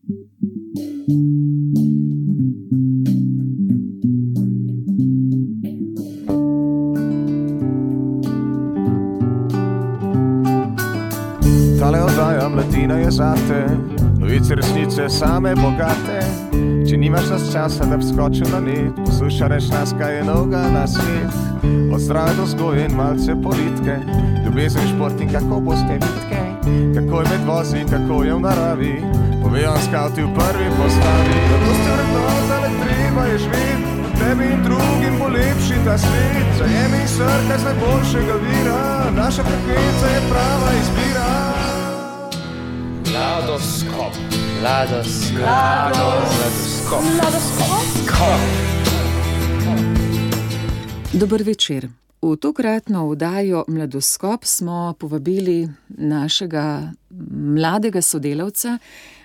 Tale oddaja mladina je zate, novice resnice same bogate. Če nimaš nas časa, da bi skočil na net, poslušaj reč nas, kaj je novega na svet. Od zdrave do vzgoje in malce politike, ljubezen, šport in kako boste vitke, kako je med vozi, kako je v naravi, povejo skavti v prvi postavi. Zato ste vrednota, le treba je živeti, tebi in drugim bo lepši ta svet. Zajemi in srkaj z najboljšega vira, naša frekvenca je prava izbira. Mladoskop. Dober večer. V tokratno oddajo Mladoskop smo povabili našega mladega sodelavca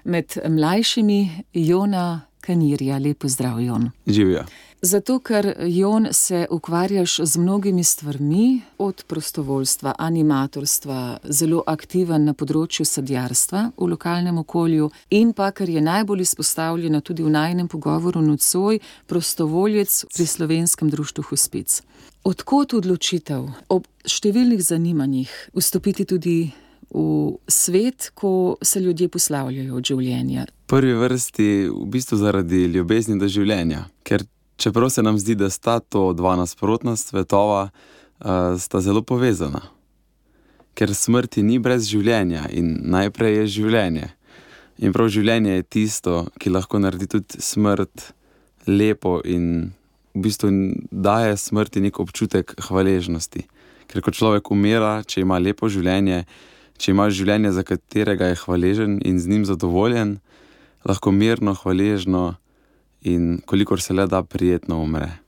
med mlajšimi, Jona Kanirja. Lep pozdrav, Jon. Živja. Zato, ker, Jon, se ukvarjaš z mnogimi stvarmi, od prostovoljstva, animatorstva, zelo aktiven na področju sadjarstva v lokalnem okolju in pa, kar je najbolj izpostavljeno tudi v najinem pogovoru nocoj, prostovoljec pri Slovenskem društvu Hospic. Odkot odločitev ob številnih zanimanjih vstopiti tudi v svet, ko se ljudje poslavljajo od življenja? V prvi vrsti v bistvu zaradi ljubezni do življenja, ker čeprav se nam zdi, da sta to dva nasprotna svetova, sta zelo povezana. Ker smrti ni brez življenja in najprej je življenje. In prav življenje je tisto, ki lahko naredi tudi smrt lepo in v bistvu daje smrti nek občutek hvaležnosti. Ker ko človek umira, če ima lepo življenje, če ima življenje, za katerega je hvaležen in z njim zadovoljen, lahko mirno, hvaležno in kolikor se le da prijetno umre.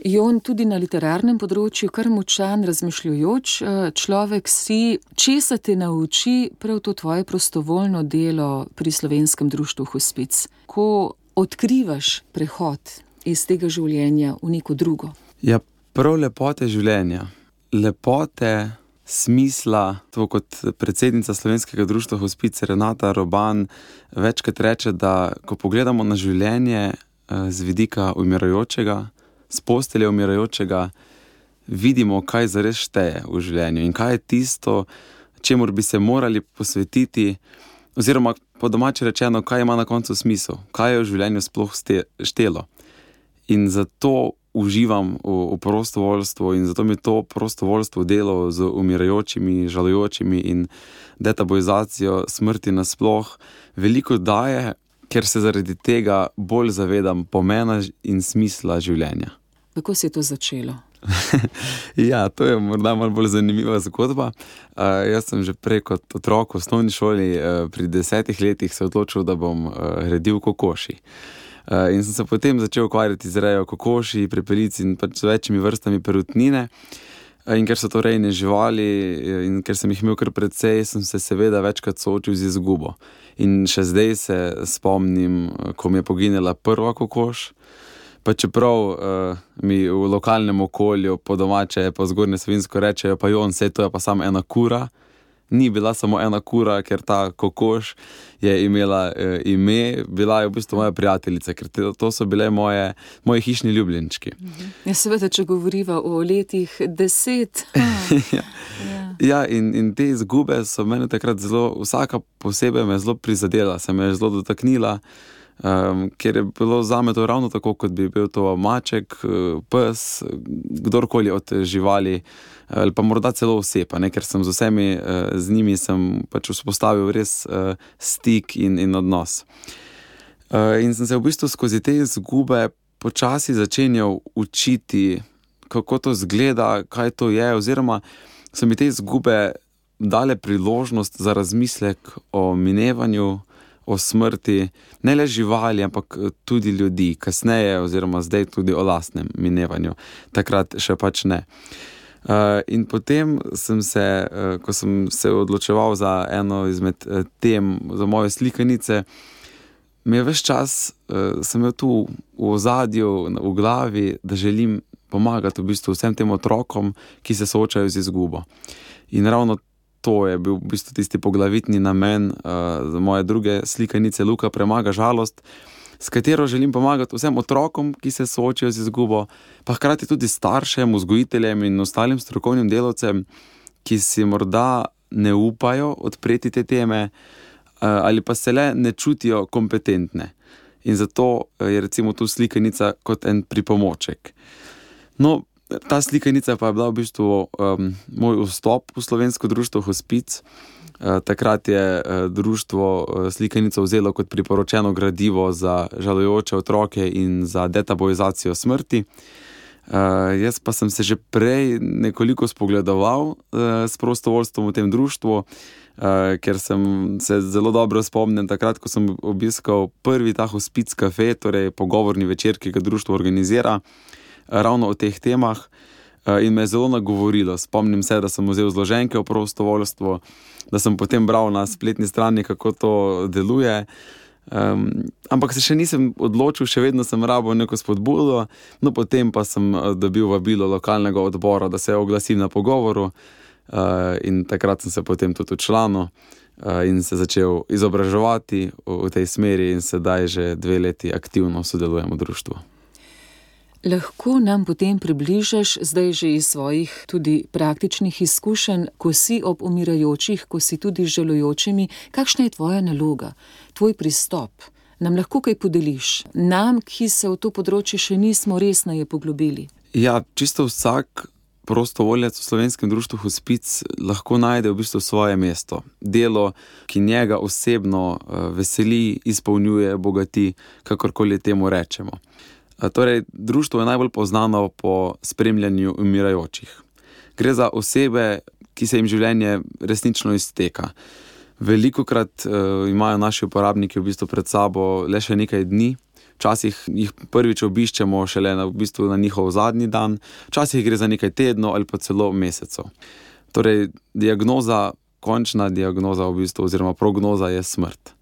Jon, tudi na literarnem področju kar močan, razmišljujoč človek si, česa te nauči prav to tvoje prostovoljno delo pri Slovenskem društvu Hospic? Ko odkrivaš prehod iz tega življenja v neko drugo? Ja, prav lepote življenja. Lepote smisla, to kot predsednica Slovenskega društva Hospic Renata Roban večkrat reče, da ko pogledamo na življenje z vidika umirajočega, z postelje umirajočega, vidimo, kaj zares šteje v življenju in kaj je tisto, čemur bi se morali posvetiti, oziroma po domače rečeno, kaj ima na koncu smisel, kaj je v življenju sploh štelo. In zato uživam v prostovoljstvu in zato mi to prostovoljstvo delo z umirajočimi, žalujočimi in detabuizacijo smrti nasploh veliko daje, ker se zaradi tega bolj zavedam pomena in smisla življenja. Kako se je to začelo? Ja, to je morda malo bolj zanimiva zgodba. Jaz sem že prej kot otrok v osnovni šoli pri 10 letih se odločil, da bom redil kokoši. In sem se potem začel ukvarjati z rejo kokoši, prepelic in pač z večjimi vrstami perutnine. In ker so to rejne živali in ker sem jih imel kar precej, sem se seveda večkrat soočil z izgubo. In še zdaj se spomnim, ko mi je poginila prva kokoš, pa čeprav mi v lokalnem okolju po domače, po Zgornje Savinjsko rečejo, pa Jon, saj to je pa samo ena kura. Ni bila samo ena kura, ker ta kokoš je imela ime, bila je v bistvu moja prijateljica, ker to so bile moji hišni ljubljenčki. Ja, seveda, če govoriva o letih 10. Ja, in te izgube so mene takrat zelo, vsaka posebej me zelo prizadela, se me je zelo dotaknila, ker je bilo zame to ravno tako, kot bi bil to maček, pes, kdorkoli od živali, ali pa morda celo oseba, ker sem z vsemi z njimi sem pač vzpostavil res stik in odnos. In sem se v bistvu skozi te izgube počasi začenjal učiti, kako to zgleda, kaj to je, oziroma so mi te izgube dale priložnost za razmislek o minevanju, o smrti, ne le živali, ampak tudi ljudi, kasneje oziroma zdaj tudi o lastnem minevanju. Takrat še pač ne. In potem sem se, ko sem se odločeval za eno izmed tem, za moje slikanice, mi je ves čas, sem imel tu v ozadju, v glavi, da želim pomagati v bistvu vsem tem otrokom, ki se soočajo z izgubo. In ravno to je bil v bistvu tisti poglavitni namen za moje druge slikanice Luka premaga žalost, s katero želim pomagati vsem otrokom, ki se soočajo z izgubo, pa hkrati tudi staršem, vzgojiteljem in ostalim strokovnim delavcem, ki si morda ne upajo odpreti te teme ali pa se le ne čutijo kompetentne. In zato je recimo tu slikanica kot en pripomoček. No, ta slikanica pa je bila v bistvu moj vstop v slovensko društvo Hospic. Takrat je društvo slikanico vzelo kot priporočeno gradivo za žalujoče otroke in za detabuizacijo smrti. Jaz pa sem se že prej nekoliko spogledoval s prostovoljstvom v tem društvu, ker sem se zelo dobro spomnim takrat, ko sem obiskal prvi ta Hospic Cafe, torej pogovorni večer, ki ga društvo organizira, ravno o teh temah, in me je zelo nagovorilo. Spomnim se, da sem vzel zloženke o prostovoljstvu, da sem potem bral na spletni strani, kako to deluje, ampak se še nisem odločil, še vedno sem rabil neko spodbudo, no potem pa sem dobil vabilo lokalnega odbora, da se oglasim na pogovoru, in takrat sem se potem tudi včlanil in se začel izobraževati v tej smeri in sedaj že 2 leti aktivno sodelujem v društvu. Lahko nam potem približaš zdaj že iz svojih tudi praktičnih izkušenj, ko si ob umirajočih, ko si tudi z žalujočimi, kakšna je tvoja naloga, tvoj pristop? Nam lahko kaj podeliš? Nam, ki se v to področje še nismo resneje poglobili. Ja, čisto vsak prostovoljec v slovenskem društvu Hospic lahko najde v bistvu svoje mesto. Delo, ki njega osebno veseli, izpolnjuje, bogati, kakorkoli temu rečemo. Torej, društvo je najbolj poznano po spremljanju umirajočih. Gre za osebe, ki se jim življenje resnično izteka. Velikokrat imajo naši uporabniki v bistvu pred sabo le še nekaj dni, včasih jih prvič obiščemo šele v bistvu na njihov zadnji dan, včasih gre za nekaj tednov ali pa celo mesecev. Torej, diagnoza, končna diagnoza v bistvu oziroma prognoza je smrt.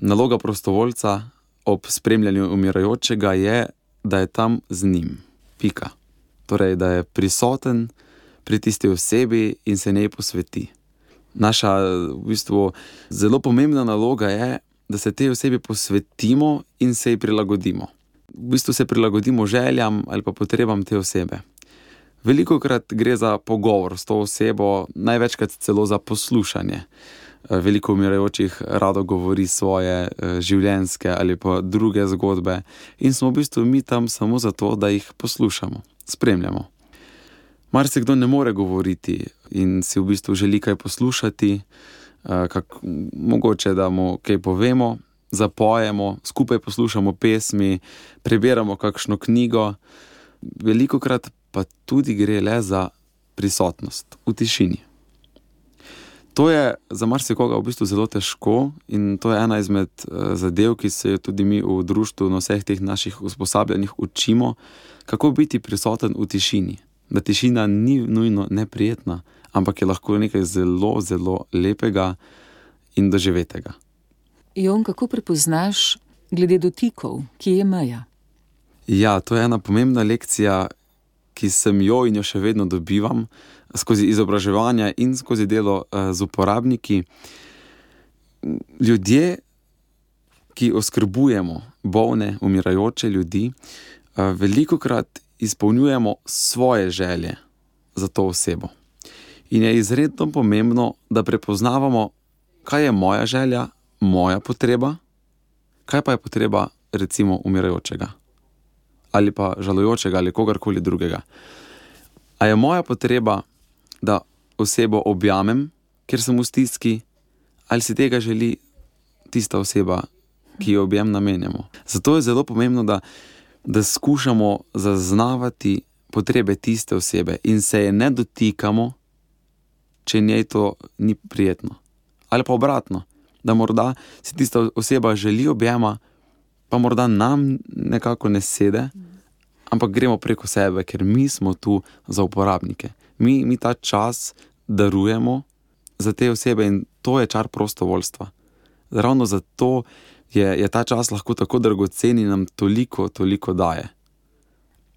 Naloga prostovoljca ob spremljanju umirajočega je, da je tam z njim. Pika. Torej, da je prisoten pri tisti osebi in se njej posveti. Naša v bistvu zelo pomembna naloga je, da se tej osebi posvetimo in se ji prilagodimo. V bistvu se prilagodimo željam ali pa potrebam te osebe. Velikokrat gre za pogovor s to osebo, največkrat celo za poslušanje. Veliko umirajočih rado govori svoje življenjske ali pa druge zgodbe in smo v bistvu mi tam samo zato, da jih poslušamo, spremljamo. Marsikdo ne more govoriti in si v bistvu želi kaj poslušati, mogoče da mu kaj povemo, zapojemo, skupaj poslušamo pesmi, preberamo kakšno knjigo. Velikokrat pa tudi gre le za prisotnost v tišini. To je za marsikoga v bistvu zelo težko in to je ena izmed zadev, ki se tudi mi v društvu na vseh teh naših usposabljanjih učimo, kako biti prisoten v tišini. Da tišina ni nujno neprijetna, ampak je lahko nekaj zelo, zelo lepega in doživetega. Jon, kako prepoznaš glede dotikov, kje je meja? Ja, to je ena pomembna lekcija, ki sem jo in jo še vedno dobivam skozi izobraževanja in skozi delo z uporabniki. Ljudje, ki oskrbujemo bolne, umirajoče ljudi, velikokrat izpolnjujemo svoje želje za to osebo. In je izredno pomembno, da prepoznavamo, kaj je moja želja, moja potreba, kaj pa je potreba recimo umirajočega ali pa žalujočega ali kogarkoli drugega. A je moja potreba, da osebo objamem, ker sem v stiski, ali si tega želi tista oseba, ki jo objem namenjamo. Zato je zelo pomembno, da skušamo zaznavati potrebe tiste osebe in se je ne dotikamo, če njej to ni prijetno. Ali pa obratno, da morda si tista oseba želi objema, pa morda nam nekako ne sede, ampak gremo preko sebe, ker mi smo tu za uporabnike. Mi ta čas darujemo za te osebe in to je čar prostovoljstva. Ravno zato je ta čas lahko tako dragocen in nam toliko daje.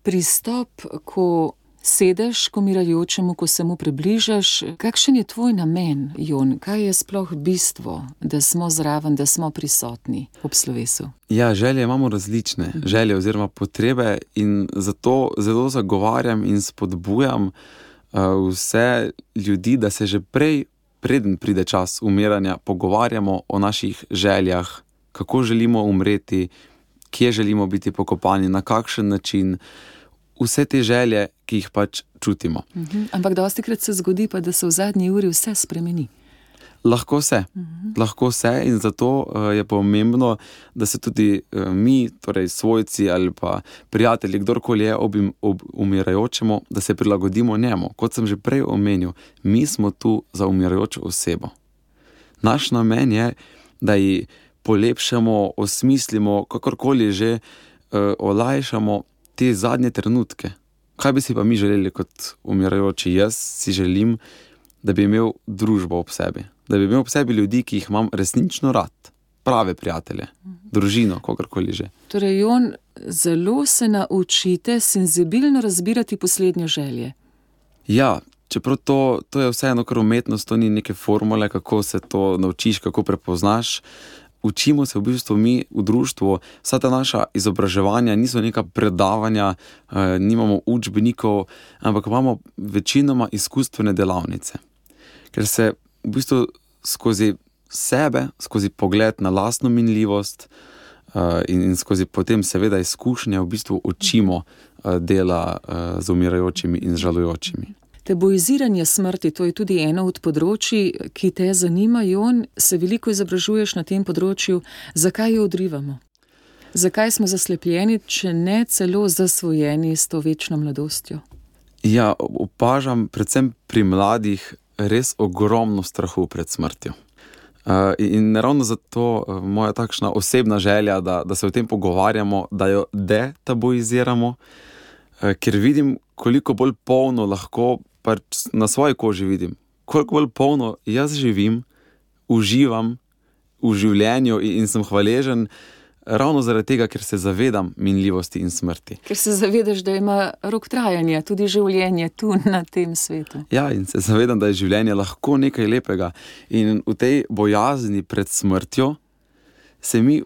Pristop, ko Sedeš k umirajočemu, ko se mu približaš. Kakšen je tvoj namen, Jon? Kaj je sploh bistvo, da smo zraven, da smo prisotni ob slovesu? Ja, želje imamo različne, želje oziroma potrebe, in zato zelo zagovarjam in spodbujam vse ljudi, da se že preden pride čas umiranja, pogovarjamo o naših željah, kako želimo umreti, kje želimo biti pokopani, na kakšen način. Vse te želje, ki jih pač čutimo. Ampak dostikrat se zgodi pa, da se v zadnji uri vse spremeni. Lahko se, in zato je pomembno, da se tudi mi, torej svojci ali pa prijatelji, kdorkoli je ob umirajočemu, da se prilagodimo njemu. Kot sem že prej omenil, mi smo tu za umirajočo osebo. Naš namen je, da ji polepšamo, osmislimo, kakorkoli že olajšamo te zadnje trenutke. Kaj bi si pa mi želeli kot umirajoči? Jaz si želim, da bi imel družbo ob sebi. Da bi imel ob sebi ljudi, ki jih imam resnično rad. Prave prijatelje, družino, kakorkoli že. Torej, Jon, zelo se naučite senzibilno razbirati poslednje želje. Ja, čeprav to je vseeno kar umetnost, to ni neke formule, kako se to naučiš, kako prepoznaš. Učimo se v bistvu mi v društvu, vsa ta naša izobraževanja niso neka predavanja, nimamo učbenikov, ampak imamo večinoma izkustvene delavnice. Ker se v bistvu skozi sebe, skozi pogled na lastno minljivost in skozi potem seveda izkušnje v bistvu učimo dela z umirajočimi in z žalujočimi. Tabuiziranje smrti, to je tudi eno od področij, ki te zanima, Jon, se veliko izobražuješ na tem področju. Zakaj jo odrivamo? Zakaj smo zaslepljeni, če ne celo zasvojeni s to večno mladostjo? Ja, opažam predvsem pri mladih res ogromno strahu pred smrtjo. In ravno zato moja takšna osebna želja, da se o tem pogovarjamo, da jo detabuiziramo, ker vidim, koliko bolj polno lahko, pač na svoji koži vidim, koliko bolj polno jaz živim, uživam v življenju in sem hvaležen ravno zaradi tega, ker se zavedam minljivosti in smrti. Ker se zavedaš, da ima rok trajanja, tudi življenje tu na tem svetu. Ja, in se zavedam, da je življenje lahko nekaj lepega. In v tej bojazni pred smrtjo se mi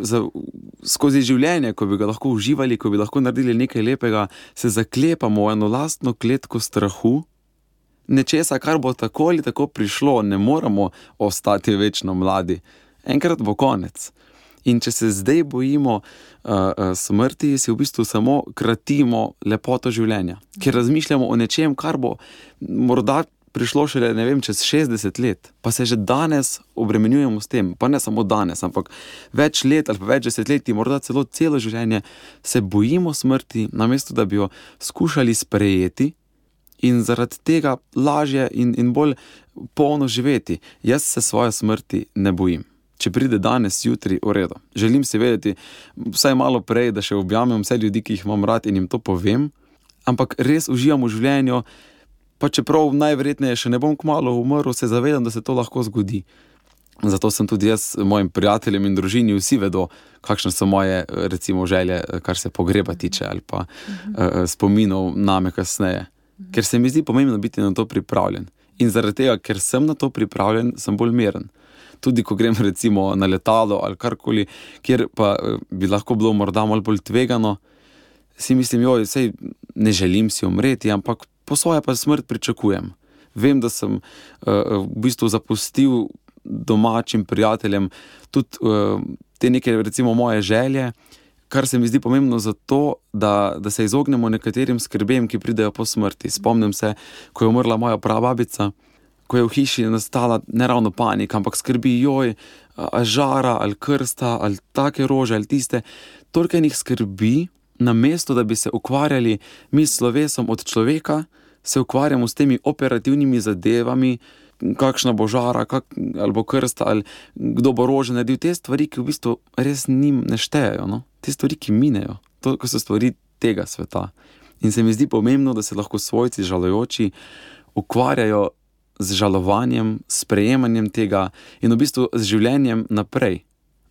skozi življenje, ko bi ga lahko uživali, ko bi lahko naredili nekaj lepega, se zaklepamo v eno lastno kletko strahu, nečesa, kar bo tako ali tako prišlo, ne moramo ostati večno mladi. Enkrat bo konec. In če se zdaj bojimo smrti, si v bistvu samo kratimo lepoto življenja. Ker razmišljamo o nečem, kar bo morda prišlo šele, ne vem, čez 60 let. Pa se že danes obremenjujemo s tem. Pa ne samo danes, ampak več let ali pa več desetletij, morda celo celo življenje se bojimo smrti, namesto da bi jo skušali sprejeti in zaradi tega lažje in bolj polno živeti. Jaz se svoje smrti ne bojim. Če pride danes, jutri, v redu. Želim si vedeti vsaj malo prej, da še objamem vse ljudi, ki jih imam rad in jim to povem, ampak res uživam v življenju, pa čeprav najverjetneje še ne bom kmalu umrl, se zavedam, da se to lahko zgodi. Zato sem tudi jaz mojim prijateljem in družini, vsi vedo, kakšne so moje, recimo, želje, kar se pogreba tiče ali pa spominov name kasneje. Ker se mi zdi pomembno biti na to pripravljen. In zaradi tega, ker sem na to pripravljen, sem bolj miren. Tudi ko grem recimo na letalo ali karkoli, kjer pa bi lahko bilo morda malo bolj tvegano, si mislim, sej ne želim si umreti, ampak po svoje pa smrt pričakujem. Vem, da sem v bistvu zapustil domačim prijateljem tudi te neke recimo moje želje, kar se mi zdi pomembno zato, da se izognemo nekaterim skrbem, ki pridejo po smrti. Spomnim se, ko je umrla moja prababica, ko je v hiši nastala ne ravno panika, ampak skrbi, žara ali krsta ali take rože ali tiste, toliko enih skrbi, namesto da bi se ukvarjali mi s slovesom od človeka, se ukvarjamo s temi operativnimi zadevami, kakšna bo žara, ali bo krsta, ali kdo bo rože naredil, te stvari, ki v bistvu res njim ne štejejo, no? Te stvari, ki minejo, to so stvari tega sveta. In se mi zdi pomembno, da se lahko svojci žalujoči ukvarjajo z žalovanjem, sprejemanjem tega in v bistvu z življenjem naprej,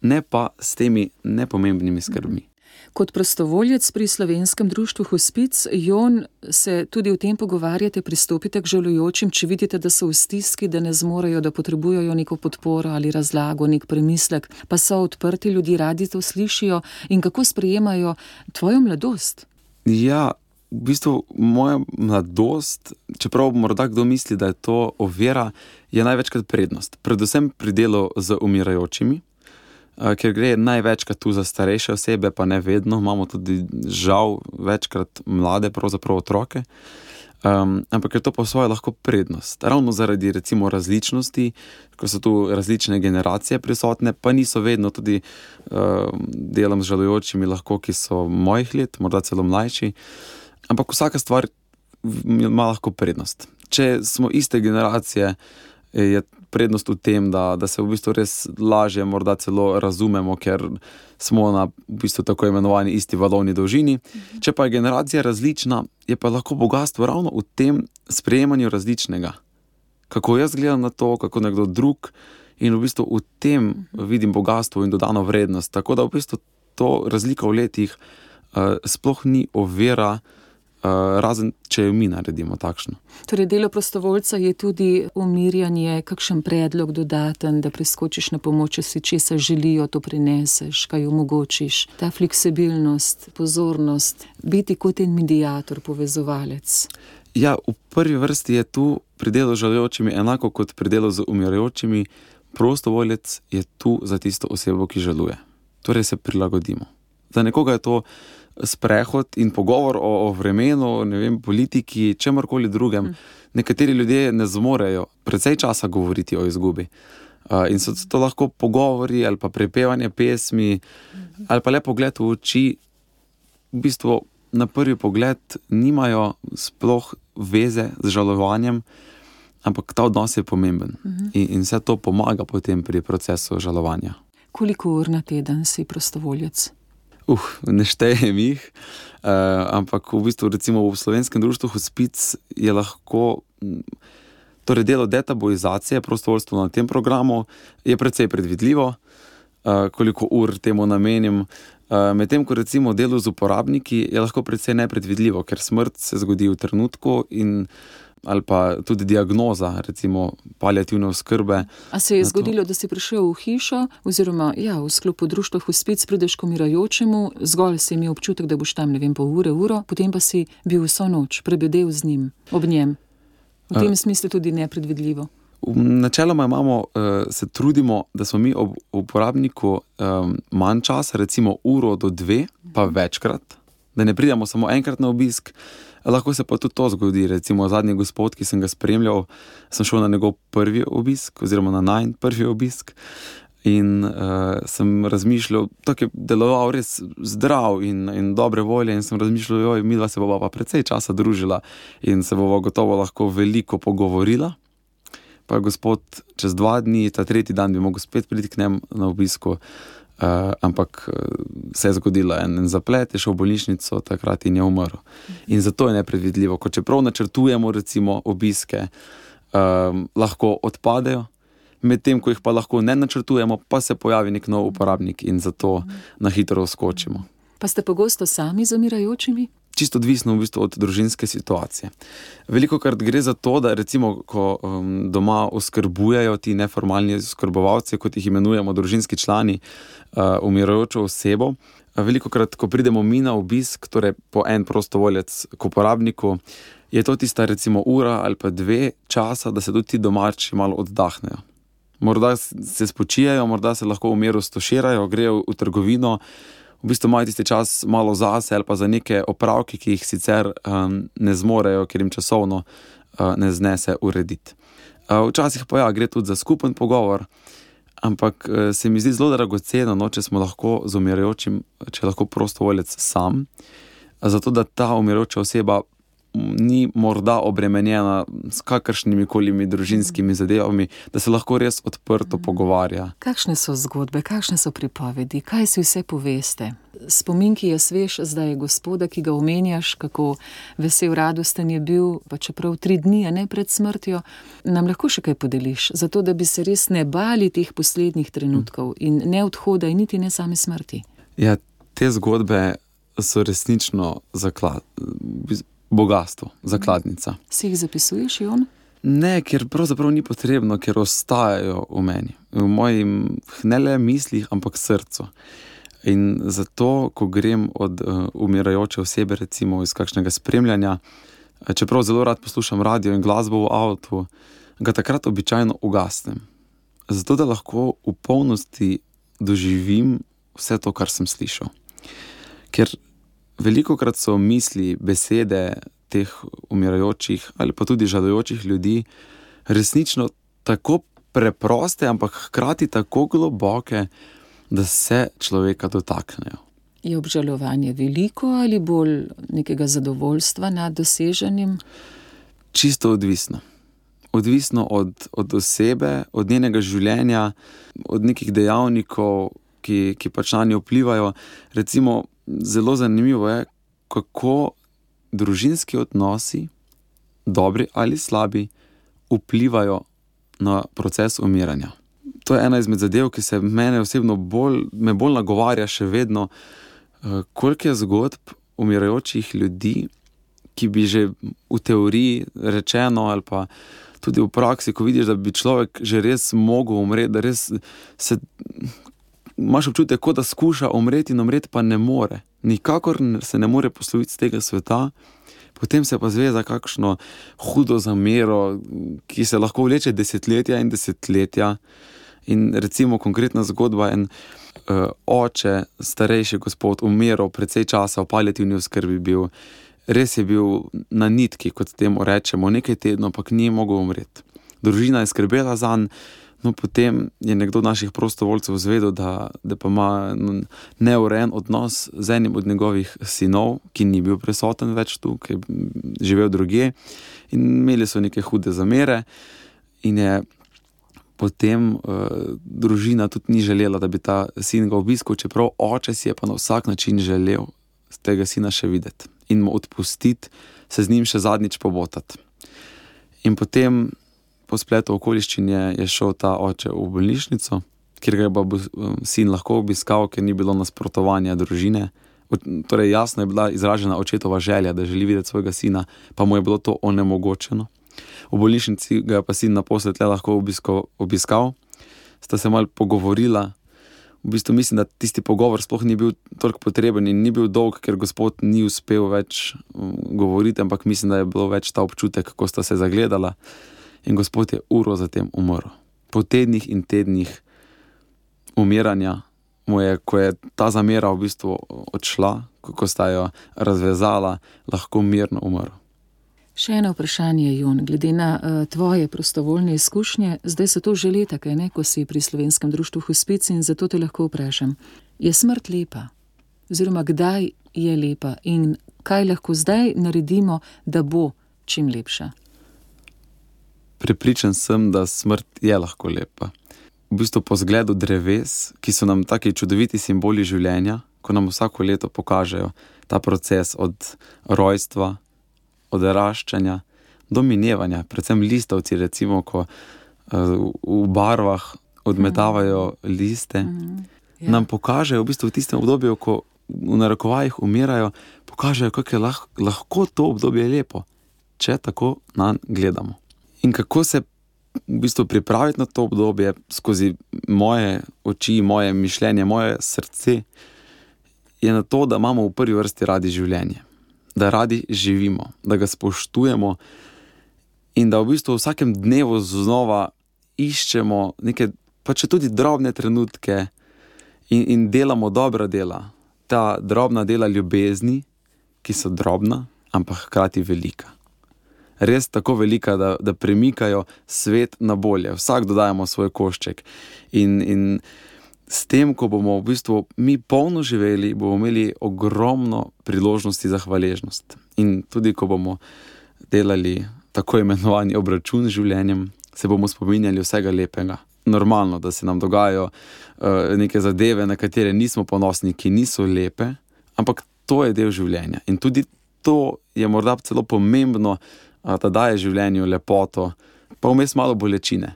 ne pa s temi nepomembnimi skrbmi. Kot prostovoljec pri Slovenskem društvu Hospic, Jon, se tudi o tem pogovarjate, pristopite k žalujočim, če vidite, da so v stiski, da ne zmorejo, da potrebujejo neko podporo ali razlago, nek premislek, pa so odprti ljudje, radi to slišijo in kako sprejemajo tvojo mladost? Ja, v bistvu moja mladost, čeprav morda kdo misli, da je to ovira, je največkrat prednost. Predvsem pri delu z umirajočimi, ker gre največkrat tu za starejše osebe, pa ne vedno, imamo tudi žal večkrat mlade, pravzaprav otroke, ampak je to po svoje lahko prednost. Ravno zaradi recimo različnosti, ko so tu različne generacije prisotne, pa niso vedno tudi delam z žalujočimi lahko, ki so mojih let, morda celo mlajši, ampak vsaka stvar ima lahko prednost. Če smo iste generacije, je prednost v tem, da se v bistvu res lažje morda celo razumemo, ker smo na v bistvu tako imenovani isti valovni dolžini. Če pa je generacija različna, je pa lahko bogastvo ravno v tem sprejemanju različnega. Kako jaz gledam na to, kako nekdo drug, in v bistvu v tem vidim bogastvo in dodano vrednost. Tako da v bistvu to razlika v letih sploh ni ovira, razen če jo mi naredimo takšno. Torej, delo prostovoljca je tudi umirjanje, kakšen predlog dodaten, da preskočiš na pomoč, če si česa želijo, to prineseš, kaj omogočiš. Ta fleksibilnost, pozornost, biti kot en mediator, povezovalec. Ja, v prvi vrsti je tu pri delu z žalujočimi enako kot pri delu z umirajočimi. Prostovoljec je tu za tisto osebo, ki žaluje. Torej se prilagodimo. Za nekoga je to sprehod in pogovor o vremenu, ne vem, politiki, čemorkoli drugem. Nekateri ljudje ne zmorejo precej časa govoriti o izgubi. In so to lahko pogovori ali pa prepevanje pesmi ali pa le pogled v oči. V bistvu na prvi pogled nimajo sploh veze z žalovanjem, ampak ta odnos je pomemben. In vse to pomaga potem pri procesu žalovanja. Koliko ur na teden si prostovoljec? Ne štejem jih, ampak v bistvu recimo v Slovenskem društvu Hospic je lahko, torej delo detabuizacije, prostovoljstvo na tem programu je precej predvidljivo, koliko ur temu namenim, medtem ko recimo delo z uporabniki je lahko precej nepredvidljivo, ker smrt se zgodi v trenutku ali pa tudi diagnoza, recimo paliativne oskrbe. A se je zgodilo, da si prišel v hišo, oziroma v sklopu društva Hospic prideš k umirajočemu, zgolj si imel občutek, da boš tam, ne vem, pol uro, potem pa si bil vso noč, prebedel z njim, ob njem. V tem smislu tudi nepredvidljivo. Načeloma se trudimo, da smo mi ob uporabniku manj časa, recimo uro do 2, pa večkrat, da ne pridemo samo enkrat na obisk. Lahko se pa tudi to zgodi, recimo zadnji gospod, ki sem ga spremljal, sem šel na njegov prvi obisk, oziroma na najin prvi obisk in sem razmišljal, tako je deloval res zdrav in dobre volje in sem razmišljal, midva se bova pa precej časa družila in se bova gotovo lahko veliko pogovorila. Pa je gospod čez 2 dni, ta 3. dan bi mogel spet priti k njem na obisku, ampak se je zgodilo en zaplet, je šel v bolnišnico takrat in je umrl. In zato je nepredvidljivo, ko čeprav načrtujemo recimo obiske, lahko odpadejo, medtem ko jih pa lahko ne načrtujemo, pa se pojavi nek nov uporabnik in zato na hitro skočimo. Pa ste pogosto sami z umirajočimi? Čisto odvisno v bistvu od družinske situacije. Velikokrat gre za to, da recimo, ko doma oskrbujejo ti neformalni oskrbovalci, kot jih imenujemo družinski člani, umirajočo osebo, velikokrat, ko pridemo mi na obisk, torej po en prostovoljec k uporabniku, je to tista recimo ura ali pa 2 časa, da se tudi ti domači malo oddahnejo. Morda se spočijajo, morda se lahko v miru stoširajo, grejo v trgovino, v bistvu imajo tisti čas malo zase ali pa za neke opravke, ki jih sicer ne zmorejo, ker jim časovno ne znese urediti. Včasih pa gre tudi za skupen pogovor, ampak se mi zdi zelo dragoceno, če smo lahko z umirajočim, če lahko prostovoljec sam, zato da ta umirajoča oseba ni morda obremenjena s kakršnimi kolimi družinskimi zadevami, da se lahko res odprto pogovarja. Kakšne so zgodbe, kakšne so pripovedi, kaj si vse poveste? Spomin, ki je svež zdaj gospoda, ki ga omenjaš, kako vesel, radosten je bil, pa čeprav 3 dni, ne pred smrtjo, nam lahko še kaj podeliš, zato da bi se res ne bali teh poslednjih trenutkov in ne odhoda in niti ne same smrti. Ja, te zgodbe so resnično bogastvo, zakladnica. Si jih zapisuješ, Jon? Ne, ker pravzaprav ni potrebno, ker ostajajo v meni. V mojim ne le mislih, ampak srcu. In zato, ko grem od umirajoče osebe, recimo iz kakšnega spremljanja, čeprav zelo rad poslušam radio in glasbo v avtu, ga takrat običajno ugasnem. Zato, da lahko v polnosti doživim vse to, kar sem slišal. Ker velikokrat so misli, besede teh umirajočih ali pa tudi žalujočih ljudi resnično tako preproste, ampak hkrati tako globoke, da se človeka dotaknejo. Je obžalovanje veliko ali bolj nekega zadovoljstva nad doseženim? Čisto odvisno. Odvisno od osebe, od njenega življenja, od nekih dejavnikov, ki pač na njo vplivajo. Recimo, zelo zanimivo je, kako družinski odnosi, dobri ali slabi, vplivajo na proces umiranja. To je ena izmed zadev, ki se mene osebno me bolj nagovarja še vedno, koliko je zgodb umirajočih ljudi, ki bi že v teoriji rečeno ali pa tudi v praksi, ko vidiš, da bi človek že res mogel umreti, da res imaš občutek, kot da skuša umreti in umreti pa ne more. Nikakor se ne more posloviti z tega sveta, potem se pa zve za kakšno hudo zamero, ki se lahko vleče desetletja in desetletja. In recimo konkretna zgodba, en oče, starejši gospod, umiral precej časa, v paliativni oskrbi bil, res je bil na nitki, kot temu rečemo, nekaj tednov, pa ni mogel umreti. Družina je skrbela zanj, no potem je nekdo naših prostovoljcev zvedel, da pa ima neurejen odnos z enim od njegovih sinov, ki ni bil prisoten več tu, ki je živel drugje, in imeli so neke hude zamere in je potem družina tudi ni želela, da bi ta sin ga obiskal, čeprav oče si je pa na vsak način želel tega sina še videti in mu odpustiti, se z njim še zadnjič pobotati. In potem po spletu okoliščin je šel ta oče v bolnišnico, kjer ga je pa sin lahko obiskal, ker ni bilo nasprotovanja družine. Torej jasno je bila izražena očetova želja, da želi videti svojega sina, pa mu je bilo to onemogočeno. V bolnišnici ga je pa sin naposled lahko obiskal, sta se malo pogovorila. V bistvu mislim, da tisti pogovor sploh ni bil toliko potreben in ni bil dolg, ker gospod ni uspel več govoriti, ampak mislim, da je bilo več ta občutek, ko sta se zagledala. In gospod je uro zatem umrl. Po tednih in tednih umiranja mu je, ko je ta zamera v bistvu odšla, ko sta jo razvezala, lahko mirno umrl. Še eno vprašanje, Jon, glede na tvoje prostovoljne izkušnje, zdaj so to že leta, kaj ne, ko si pri Slovenskem društvu Hospic, in zato te lahko vprašam, je smrt lepa? Oziroma, kdaj je lepa in kaj lahko zdaj naredimo, da bo čim lepša? Prepričan sem, da smrt je lahko lepa. V bistvu po zgledu dreves, ki so nam taki čudoviti simboli življenja, ko nam vsako leto pokažejo ta proces od rojstva, odraščanja do minevanja, predvsem listovci, recimo, ko v barvah odmetavajo liste, nam pokažejo v bistvu v tistem obdobju, ko v narekovajih umirajo, pokažejo, kako je lahko to obdobje lepo, če tako nanj gledamo. In kako se v bistvu pripraviti na to obdobje skozi moje oči, moje mišljenje, moje srce, je na to, da imamo v prvi vrsti radi življenje. Da radi živimo, da ga spoštujemo in da v bistvu v vsakem dnevu znova iščemo neke, pa če tudi drobne trenutke in delamo dobra dela. Ta drobna dela ljubezni, ki so drobna, ampak hkrati velika. Res tako velika, da premikajo svet na bolje. Vsak dodajamo svoj košček. In s tem, ko bomo v bistvu mi polno živeli, bomo imeli ogromno priložnosti za hvaležnost. In tudi, ko bomo delali tako imenovani obračun z življenjem, se bomo spominjali vsega lepega. Normalno, da se nam dogajajo neke zadeve, na katere nismo ponosni, ki niso lepe, ampak to je del življenja. In tudi to je morda celo pomembno, da daje življenju lepoto, pa vmes malo bolečine.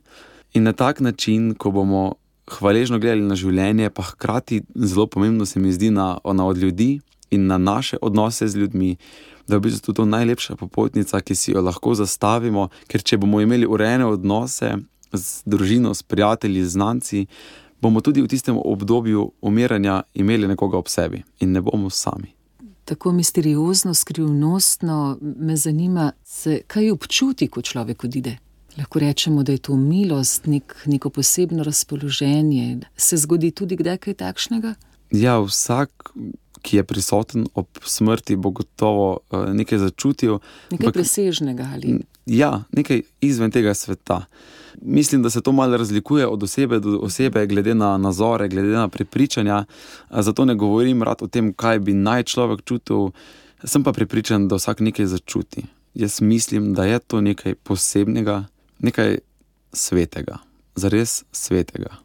In na tak način, ko bomo hvaležno gledali na življenje, pa hkrati zelo pomembno se mi zdi od ljudi in na naše odnose z ljudmi, da je v bistvu to najlepša popotnica, ki si jo lahko zastavimo, ker če bomo imeli urejene odnose z družino, s prijatelji, z znanci, bomo tudi v tistem obdobju umiranja imeli nekoga ob sebi in ne bomo sami. Tako misteriozno, skrivnostno me zanima, kaj občuti, ko človek odide. Lahko rečemo, da je to milost, neko posebno razpoloženje. Se zgodi tudi kdaj kaj takšnega? Ja, vsak, ki je prisoten ob smrti, bo gotovo nekaj začutil. Nekaj presežnega ali? Ja, nekaj izven tega sveta. Mislim, da se to malo razlikuje od osebe do osebe, glede na nazore, glede na prepričanja. Zato ne govorim rad o tem, kaj bi naj človek čutil. Sem pa prepričan, da vsak nekaj začuti. Jaz mislim, da je to nekaj posebnega, nekaj svetega. Zares svetega.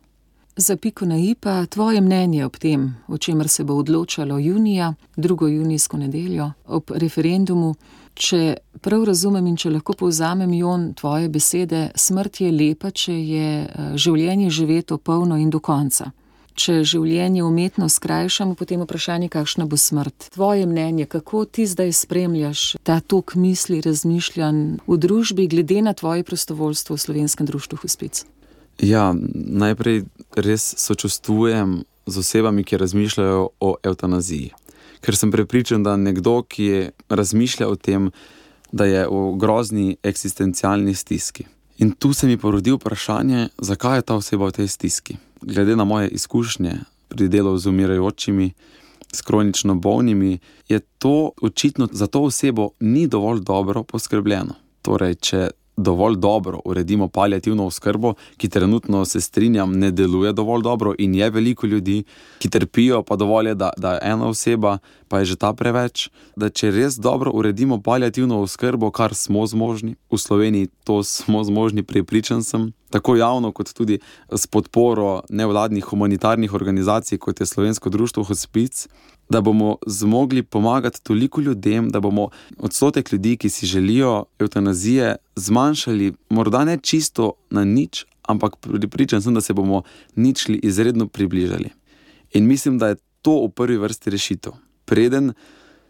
Za piko na i pa tvoje mnenje ob tem, o čemer se bo odločalo junija, 2. junijsko nedeljo, ob referendumu. Če prav razumem in če lahko povzamem, Jon, tvoje besede, smrt je lepa, če je življenje živeto polno in do konca. Če življenje umetno skrajšamo, potem vprašanje, kakšna bo smrt. Tvoje mnenje, kako ti zdaj spremljaš ta tok misli, razmišljanj v družbi, glede na tvoje prostovoljstvo v Slovenskem društvu Hospic? Ja, najprej res sočustvujem z osebami, ki razmišljajo o evtanaziji. Ker sem prepričan, da nekdo, ki razmišlja o tem, da je v grozni eksistencialni stiski. In tu se mi porodi vprašanje, zakaj je ta oseba v tej stiski. Glede na moje izkušnje pri delu z umirajočimi, s kronično bolnimi, je to očitno za to osebo ni dovolj dobro poskrbljeno. Torej, če dovolj dobro uredimo paliativno oskrbo, ki trenutno, se strinjam, ne deluje dovolj dobro in je veliko ljudi, ki trpijo, pa dovolj je, da je ena oseba, pa je že ta preveč, da če res dobro uredimo paliativno oskrbo, kar smo zmožni, v Sloveniji to smo zmožni, prepričan sem, tako javno kot tudi s podporo nevladnih humanitarnih organizacij, kot je Slovensko društvo Hospic, da bomo zmogli pomagati toliko ljudem, da bomo odstotek ljudi, ki si želijo evtanazije, zmanjšali, morda ne čisto na nič, ampak pripričan sem, da se bomo ničli izredno približali. In mislim, da je to v prvi vrsti rešitev. Preden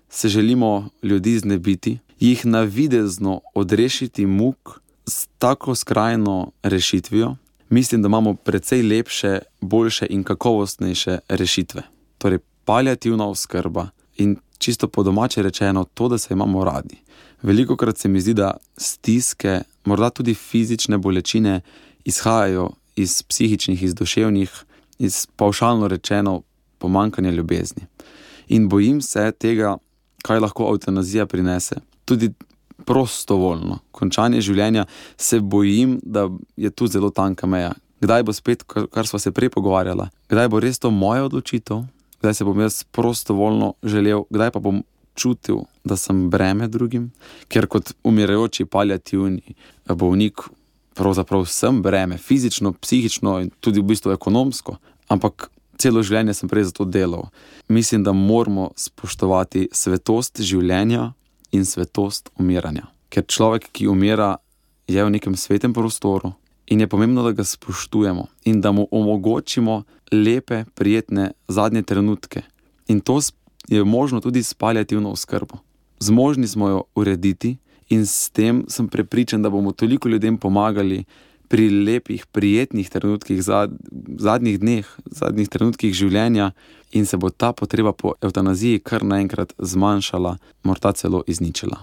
se želimo ljudi znebiti, jih navidezno odrešiti muk s tako skrajno rešitvijo, mislim, da imamo precej lepše, boljše in kakovostnejše rešitve. Torej, paliativna oskrba in čisto po domače rečeno to, da se imamo radi. Velikokrat se mi zdi, da stiske, morda tudi fizične bolečine izhajajo iz psihičnih, iz duševnih, iz pavšalno rečeno pomanjkanja ljubezni. In bojim se tega, kaj lahko evtanazija prinese, tudi prostovoljno. Končanje življenja, se bojim, da je tu zelo tanka meja. Kdaj bo spet, kar sva se prej pogovarjala, kdaj bo res to moja odločitev, kdaj se bom jaz prostovoljno želel, kdaj pa bom čutil, da sem breme drugim, ker kot umirajoči paliativni bolnik pravzaprav sem breme, fizično, psihično in tudi v bistvu ekonomsko, ampak celo življenje sem prej za to delal. Mislim, da moramo spoštovati svetost življenja in svetost umiranja. Ker človek, ki umira, je v nekem svetem prostoru in je pomembno, da ga spoštujemo in da mu omogočimo lepe, prijetne zadnje trenutke. In to je možno tudi s paliativno oskrbo. Zmožni smo jo urediti in s tem sem prepričan, da bomo toliko ljudem pomagali pri lepih, prijetnih trenutkih, zadnjih dneh, zadnjih trenutkih življenja in se bo ta potreba po evtanaziji kar naenkrat zmanjšala, morda celo izničila.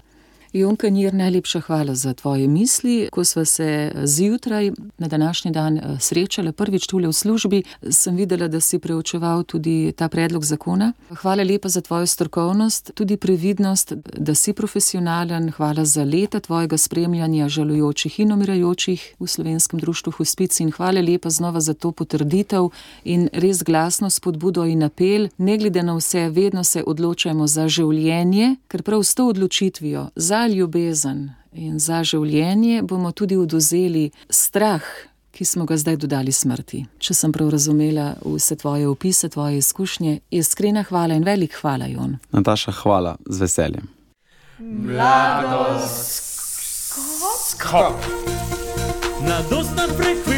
Jon Kanjir, najlepša hvala za tvoje misli. Ko sva se zjutraj na današnji dan srečala prvič tule v službi, sem videla, da si preučeval tudi ta predlog zakona. Hvala lepa za tvojo strokovnost, tudi previdnost, da si profesionalen. Hvala za leta tvojega spremljanja žalujočih in umirajočih v Slovenskem društvu Hospic in hvala lepa znova za to potrditev in res glasno spodbudo in apel. Ne glede na vse, vedno se odločajmo za življenje, ker prav s to odločitvijo za ljubezen in za življenje bomo tudi odvzeli strah, ki smo ga zdaj dodali smrti. Če sem prav razumela vse tvoje opise, tvoje izkušnje, iskrena hvala in velik hvala, Jon. Nataša, hvala, z veseljem. Mladoskop. Mladostna frekvenca.